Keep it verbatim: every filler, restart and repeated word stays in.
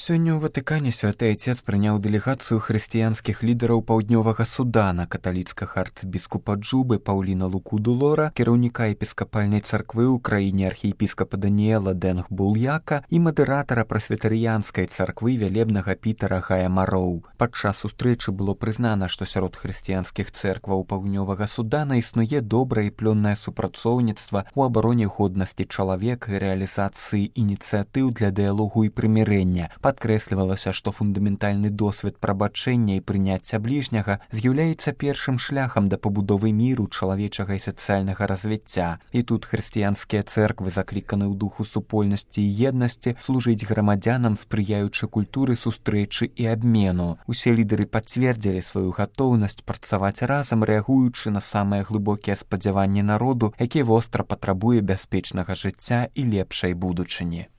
Сёння ў Ватыкане святы айцец прыняў дэлегацыю хрысціянскіх лідараў паўднёвага Судана, каталіцкага арцыбіскупа Джубы Паўліна Лукудулора, кіраўніка епіскапальнай царквы ў краіне архіепіскапа Даніэла Дэнг Бул'яка і мадэратара прэсвітарыянскай царквы вялебнага Пітера Гая Мароў. Падчас сустрэчы было прызнана, што сярод хрысціянскіх цэркваў паўднёвага Судана існуе добрае і плённае супрацоўніцтва ў абароне годнасці чалавека і рэалізацыі ініцыятыў для дыялогу і прымірэння. Падкрэслівалася, што фундаментальны досвед прабачэння і прыняцця бліжняга з'яўляецца першым шляхам да пабудовы міру, чалавечага і сацыяльнага развіцця. І тут хрысціянскія цэрквы закліканы ў духу супольнасці і еднасці служыць грамадзянам, спрыяючы культуры сустрэчы і абмену. Усе лідары пацвердзілі сваю гатоўнасць працаваць разам, рэагуючы на самыя глыбокія спадзяванні народу, які востра патрабуе бяспечнага жыцця і лепшай будучыні.